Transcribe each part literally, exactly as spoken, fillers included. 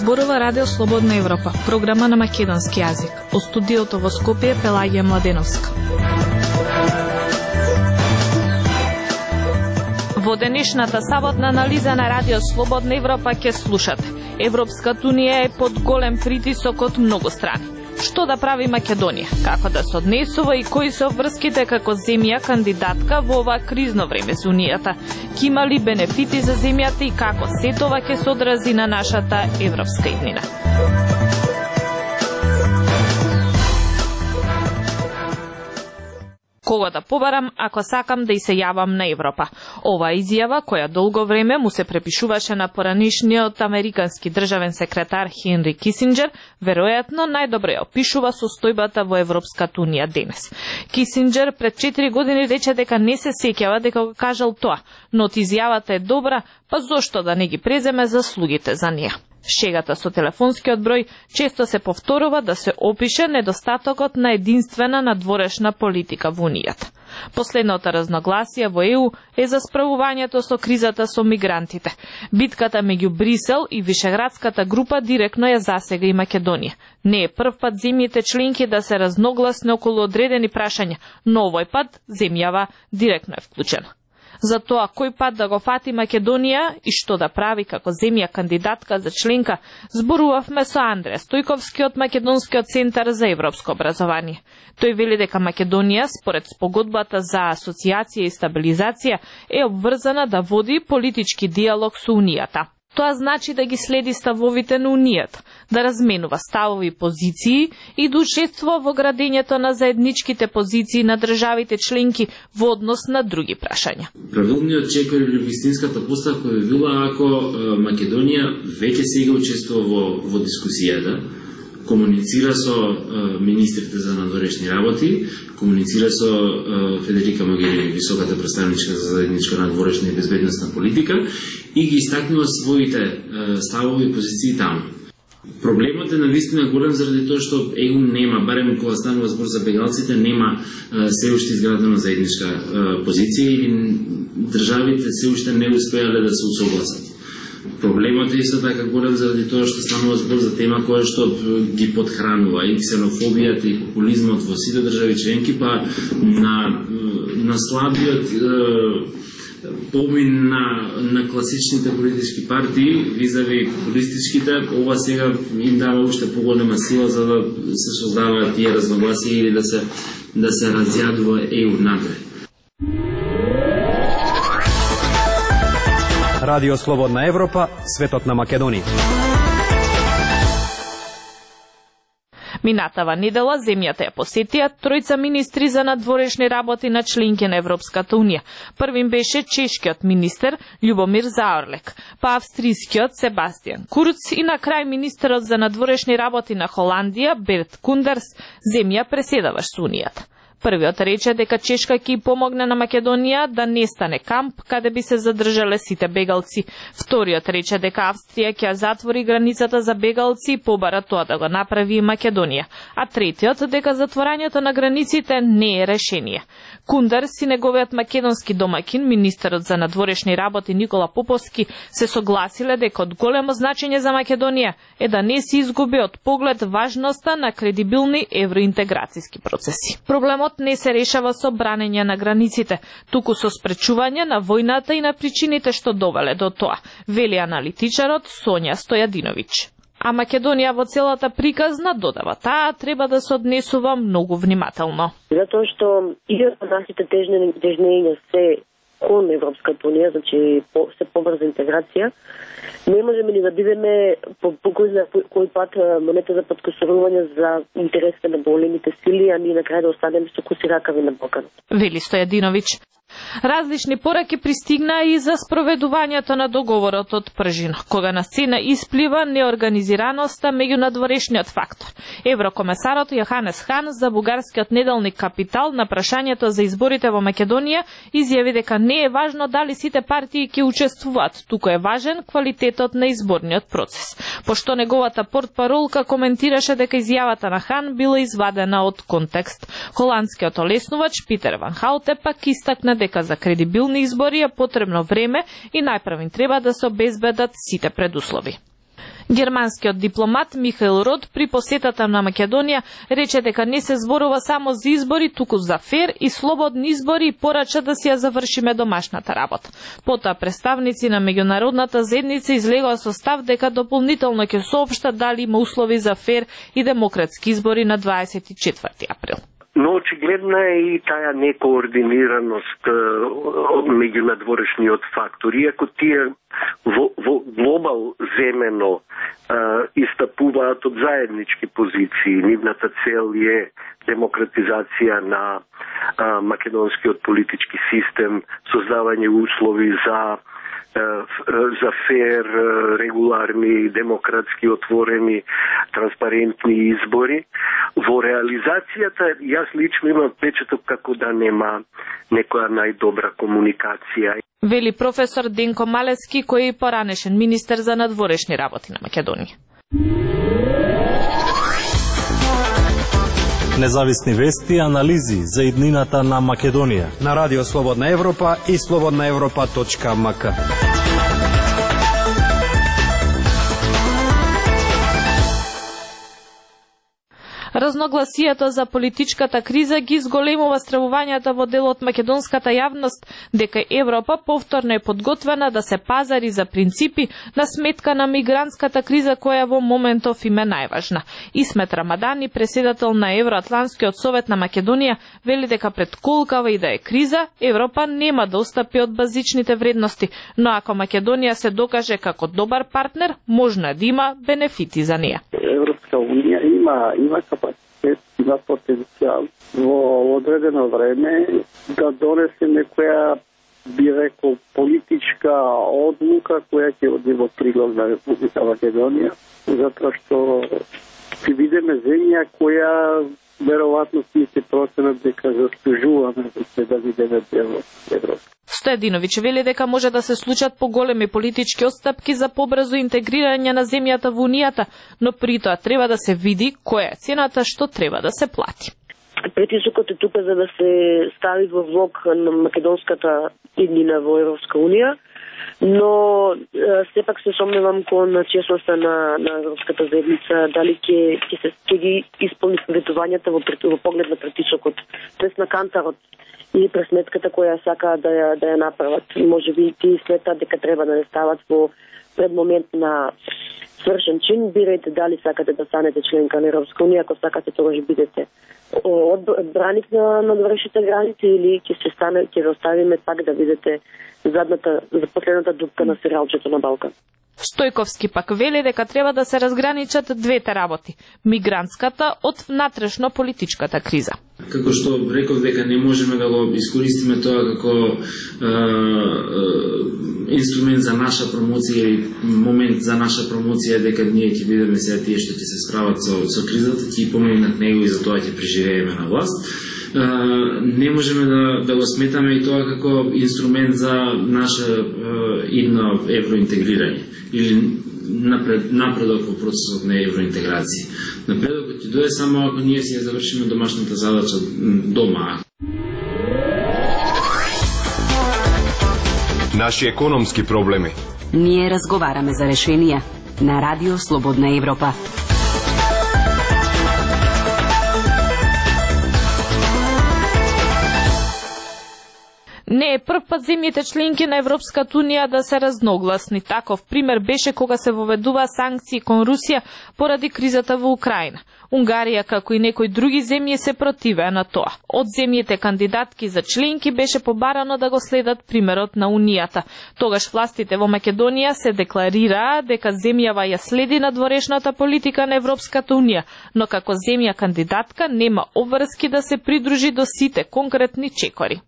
Зборува Радио Слободна Европа, програма на македонски јазик. Од студиото во Скопје Пелагија Младеновска. Во денешната саботна анализа на Радио Слободна Европа ќе слушате: Европската унија е под голем притисок од многу страни. Што да прави Македонија? Како да се однесува и кои се врските како земја кандидатка во ова кризно време за Унијата? Ки има ли бенефити за земјата и како се тоа ќе се одрази на нашата европска иднина? Кого да побарам ако сакам да и се јавам на Европа? Ова изјава, која долго време му се препишуваше на поранишниот американски државен секретар Хенри Кисинџер, веројатно најдобро ја опишува состојбата во Европската унија денес. Кисинџер пред четири години рече дека не се сеќава дека го кажал тоа, но од изјавата е добра, па зошто да не ги преземе заслугите за неа? Шегата со телефонскиот број често се повторува да се опише недостатокот на единствена надворешна политика во Унијата. Последното разногласие во ЕУ е за справувањето со кризата со мигрантите. Битката меѓу Брисел и Вишеградската група директно ја засега и Македонија. Не е прв пат земјите членки да се разногласни околу одредени прашања, но овој пат земјава директно е вклучена. За тоа кој пат да го фати Македонија и што да прави како земја кандидатка за членка, зборувавме со Андреа Стојковски од Македонскиот центар за европско образование. Тој вели дека Македонија, според спогодбата за асоциација и стабилизација, е обврзана да води политички диалог со Унијата. Тоа значи да ги следи ставовите на Унијата, да разменува ставови и позиции и да учествува во градењето на заедничките позиции на државите членки во однос на други прашања. Правилниот чек или вистинската поставка би била ако Македонија веќе сега учествува во, во дискусијата, комуницира со е, министрите за надворешни работи, комуницира со е, Федерика Могерини, високата представничка за заедничка надворешна и безбедносна политика, и ги истакнува своите е, ставови и позиции таму. Проблемот е навистина голем заради тоа што ЕУ нема, барем кога станува збор за бегалците, нема е, се уште изградена заедничка е, позиција или државите се уште не успеале да се усогласат. Проблемот е исто така голем заради тоа што станува збор за тема која што ги подхранува и ксенофобијата и популизмот во сите држави членки, па на, на слабиот помин на, на класичните политички партии визави популистичките, ова сега им дава уште поголема сила за да се создаваат тие разногласија или да се, да се разјадува ЕУ напред. Радио Слободна Европа, светот на Македонија. Минатава недела земјата ја посетија тројца министри за надворешни работи на членки на Европската унија. Првим беше чешкиот министер Љубомир Заорлек, па австријскиот Себастијан Курц и на крај министерот за надворешни работи на Холандија Берт Кундерс, земја преседаваш со Унијата. Првиот рече дека Чешка ќе помогне на Македонија да не стане камп каде би се задржале сите бегалци. Вториот рече дека Австрија ќе затвори границата за бегалци и побара тоа да го направи и Македонија. А третиот дека затворањето на границите не е решение. Кундерс и неговиот македонски домакин, министерот за надворешни работи Никола Поповски, се согласиле дека од големо значење за Македонија е да не се изгуби од поглед важноста на кредибилни евроинтеграцијски процеси. Проблемот не се решава со бранење на границите, туку со спречување на војната и на причините што довеле до тоа, вели аналитичарот Сонја Стојадиновиќ. А Македонија во целата приказна додава, таа треба да се однесува многу внимателно. Затоа што и нашите тежнења се кон Европската унија, значи по, се побрза интеграција, не можеме ни да бидеме по, по кој, кој пат монета за подкосорување за интересите на големите сили, а ние на крај да останеме со куси ракави на Балканот. Вели Стојадиновиќ. Различни пораки пристигнаа и за спроведувањето на договорот од Пржин, кога на сцена исплива неорганизираноста меѓу надворешниот фактор. Еврокомесарот Јоханес Хан за бугарскиот неделник Капитал на прашањето за изборите во Македонија изјави дека не е важно дали сите партии ќе учествуваат, туку е важен квалитетот на изборниот процес. Пошто неговата портпаролка коментираше дека изјавата на Хан била извадена од контекст. Холандскиот олеснувач Питер Ван Хауте пак истакна дека за кредибилни избори е потребно време и најпрвин треба да се обезбедат сите предуслови. Германскиот дипломат Михаел Рот при посетата на Македонија рече дека не се зборува само за избори, туку за фер и слободни избори и порача да си ја завршиме домашната работа. Потоа представници на меѓународната заедница излегоа со став дека дополнително ќе соопштат дали има услови за фер и демократски избори на дваесет и четврти април. Но очигледна е и таа некоординираност меѓу надворешниот фактор. Иако тие во, во глобал земено истапуваат од заеднички позиции, нивната цел е демократизација на а, македонскиот политички систем, создавање услови за за фер, регуларни, демократски, отворени, транспарентни избори. Во реализацијата, јас лично имам впечаток како да нема некоја најдобра комуникација. Вели професор Денко Малески, кој е поранешен министер за надворешни работи на Македонија. Независни вести и анализи за иднината на Македонија на Радио Слободна Европа и слободна европа точка ем ка. Разногласието за политичката криза ги изголемува стравувањата во дел од македонската јавност дека Европа повторно е подготвена да се пазари за принципи на сметка на мигрантската криза која во моментов им е најважна. Исмет Рамадани, преседател на Евроатланскиот совет на Македонија, вели дека пред колкава и да е криза, Европа нема да отстапи од базичните вредности, но ако Македонија се докаже како добар партнер, можно да има бенефити за неја. Европска унија има има капацитет, има потенцијал во одредено време да донесе некоја, би рекол, политичка одлука која ќе оди во прилог на Република Македонија, затоа што ќе видиме земја која веројатно ќе проценат дека заслужуваме да се да видиме дел од Европа. Стојадиновиќ вели дека може да се случат поголеми политички отстапки за побрзо интегрирање на земјата во Унијата, но при тоа треба да се види која е цената што треба да се плати. Притисокот е тука за да се стави во влог на македонската иднина во Европска Унија, но сепак се сомневам кон честноста на, на Европската заедница, дали ќе ќе се ќе ги исполни советувањата во, во поглед на притисокот, тоест на кантарот и пресметката која сака да ја, да ја направат. Може би ти сметат дека треба да не стават во пред момент на свршен чин, бирајте дали сакате да станете членка на Европска Унија, ако сакате тогаш бидете одбраник на надворешните граници или ќе се стане, ќе ве оставиме пак да видите задната, за последната дупка на серијалчето на Балкан. Стојковски пак вели дека треба да се разграничат двете работи, мигрантската од внатрешно политичката криза. Како што реков дека не можеме да го искористиме тоа како е, е, инструмент за наша промоција или момент за наша промоција, дека ние ќе бидеме сега тие што ќе се справат со, со кризата, ќе помогнат него и за тоа ќе преживееме на власт. Uh, не можеме да, да го сметаме и тоа како инструмент за наше uh, идно евроинтегрирање или напред, напредок во процесот на евроинтеграција. Напредокот ќе дојде само ако ние си ја завршиме домашната задача дома. Наши економски проблеми. Ние разговараме за решенија на Радио Слободна Европа. Не е прв пат земјите членки на Европската Унија да се разногласни. Таков пример беше кога се воведува санкции кон Русија поради кризата во Украина. Унгарија, како и некои други земји, се противеа на тоа. Од земјите кандидатки за членки беше побарано да го следат примерот на Унијата. Тогаш властите во Македонија се декларираа дека земјава ја следи надворешната политика на Европската Унија, но како земја кандидатка нема обврски да се придружи до сите конкретни чекори.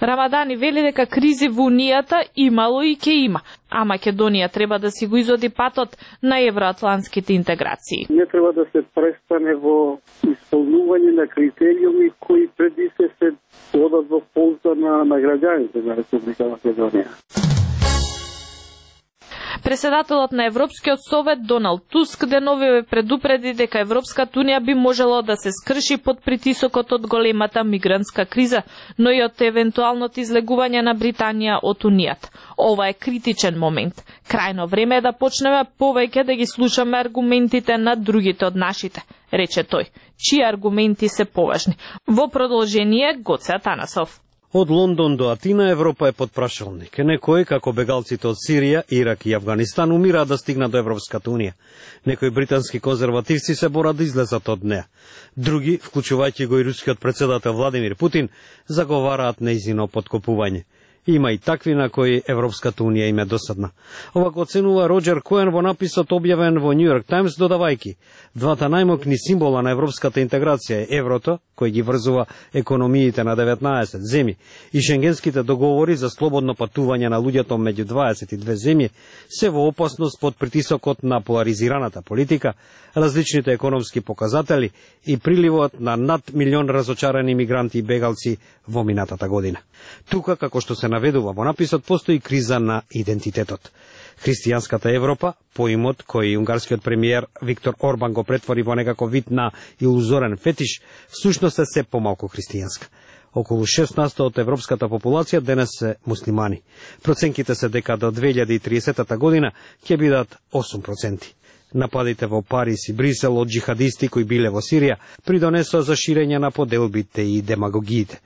Рамадани вели дека кризи во Унијата имало и ќе има, а Македонија треба да си го изоди патот на евроатлантските интеграции. Не треба да се престане во исполнување на критериуми кои преди се се одат во полза на, на граѓаните на Република Македонија. Председателот на Европскиот совет Доналд Туск деновиве предупреди дека Европската унија би можело да се скрши под притисокот од големата мигрантска криза, но и од евентуалното излегување на Британија од Унијата. Ова е критичен момент. Крајно време е да почнеме повеќе да ги слушаме аргументите на другите од нашите, рече тој. Чии аргументи се поважни? Во продолжение Гоце Атанасов. Од Лондон до Атина Европа е под прашалник. Некои, како бегалците од Сирија, Ирак и Авганистан, умираат да стигнат до Европската унија. Некои британски конзервативци се борат да излезат од неа. Други, вклучувајќи го и рускиот председател Владимир Путин, заговараат нејзино подкопување. Има и такви на кои Европската унија им е досадна. Ова го оценува Роџер Коен во написот објавен во Нью Йорк Таймс, додавајки: двата најмокни символа на европската интеграција е еврото, кој ги врзува економиите на деветнаесет земји, и шенгенските договори за слободно патување на луѓето меѓу дваесет и две земји, се во опасност под притисокот на поларизираната политика, различните економски показатели и приливот на над милион разочарани мигранти и бегалци во минатата година. Тука, како што се наведува во написот, постои криза на идентитетот. Христијанската Европа, поимот кој унгарскиот премиер Виктор Орбан го претвори во некаков вид на илузорен фетиш, всушност е се помалку христијанска. Околу шест на сто од европската популација денес се муслимани. Проценките се дека до две илјади и триесета година ќе бидат осум проценти. Нападите во Париз и Брисел од джихадисти кои биле во Сирија придонесоа за ширење на поделбите и демагогиите.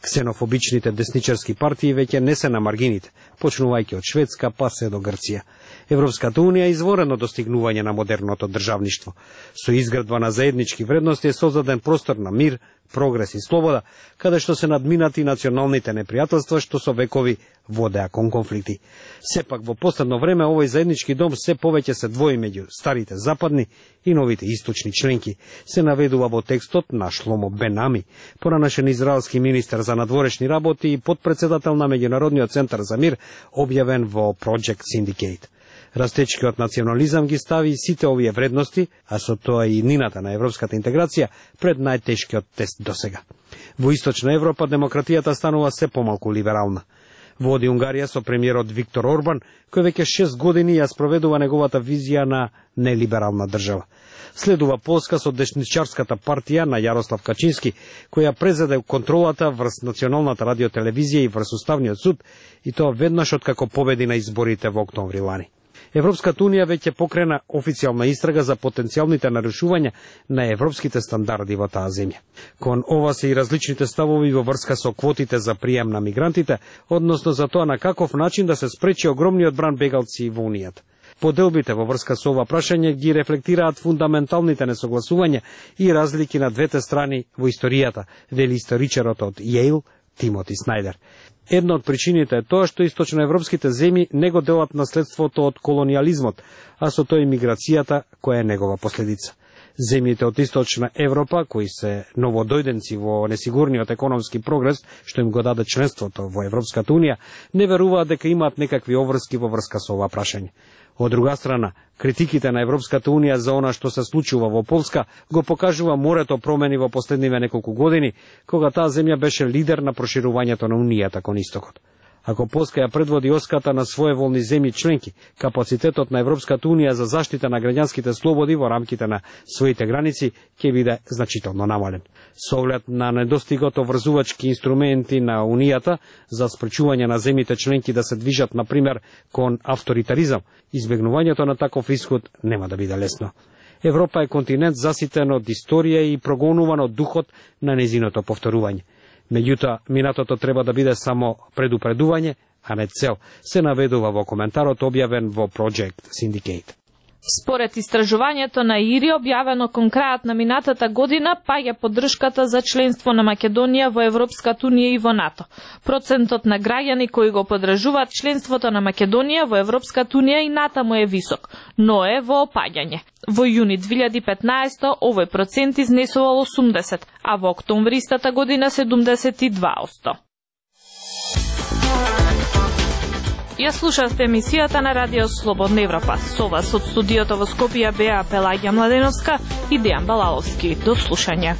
Ксенофобичните десничарски партии веќе не се на маргините, почнувајќи од Шведска па се до Грција. Европската унија е изворено достигнување на модерното државништво. Со изградба на заеднички вредности е создаден простор на мир, прогрес и слобода, каде што се надминати националните непријателства што со векови водеа кон конфликти. Сепак во последно време овој заеднички дом се повеќе се двои меѓу старите западни и новите источни членки, се наведува во текстот на Шломо Бен Ами, поранашен израелски министер за надворешни работи и подпредседател на Меѓународниот центар за мир, објавен во Project Syndicate. Растечкиот национализам ги стави сите овие вредности, а со тоа и нината на европската интеграција, пред најтешкиот тест досега. Во Источна Европа демократијата станува се помалку либерална. Води Унгарија со премиерот Виктор Орбан, кој веќе шест години ја спроведува неговата визија на нелиберална држава. Следува Полска со десничарската партија на Јарослав Качински, која презеде контролата врз националната радиотелевизија и врз Уставниот суд, и тоа веднаш откако победи на изборите во октомври лани. Европската унија веќе покрена официјална истрага за потенцијалните нарушувања на европските стандарди во таа земја. Кон ова се и различните ставови во врска со квотите за прием на мигрантите, односно за тоа на каков начин да се спречи огромниот бран бегалци во унијата. Поделбите во врска со ова прашање ги рефлектираат фундаменталните несогласувања и разлики на двете страни во историјата, вели историчарот од Јейл Тимоти Снајдер. Една од причините е тоа што источноевропските земји не го делат наследството од колониализмот, а со тоа и миграцијата која е негова последица. Земјите од Источна Европа, кои се новодојденци во несигурниот економски прогрес, што им го даде членството во Европската унија, не веруваат дека имаат некакви обврски во врска со ова прашање. Од друга страна, критиките на Европската унија за она што се случува во Полска го покажува морето промени во последниве неколку години, кога таа земја беше лидер на проширувањето на унијата кон истокот. Ако Полска ја предводи оската на своеволни земји членки, капацитетот на Европската унија за заштита на граѓанските слободи во рамките на своите граници ќе биде значително намален. Со оглед на недостигот врзувачки инструменти на унијата за спречување на земјите членки да се движат, например, кон авторитаризам, избегнувањето на таков исход нема да биде лесно. Европа е континент заситен од историја и прогонуван од духот на незиното повторување. Меѓутоа, минатото треба да биде само предупредување, а не цел, се наведува во коментарот објавен во Project Syndicate. Според истражувањето на ИРИ, објавено кон крајот на минатата година, паѓа поддршката за членство на Македонија во Европската унија и во НАТО. Процентот на граѓани кои го поддржуваат членството на Македонија во Европската унија и натаму е висок, но е во опаѓање. Во јуни две илјади и петнаесета овој процент изнесувал осумдесет, а во октомври истата година седумдесет и два одсто. Ја слушавте емисијата на Радио Слободна Европа. Со вас од студиото во Скопје беа Пелагија Младеновска и Дејан Балаловски. До слушање.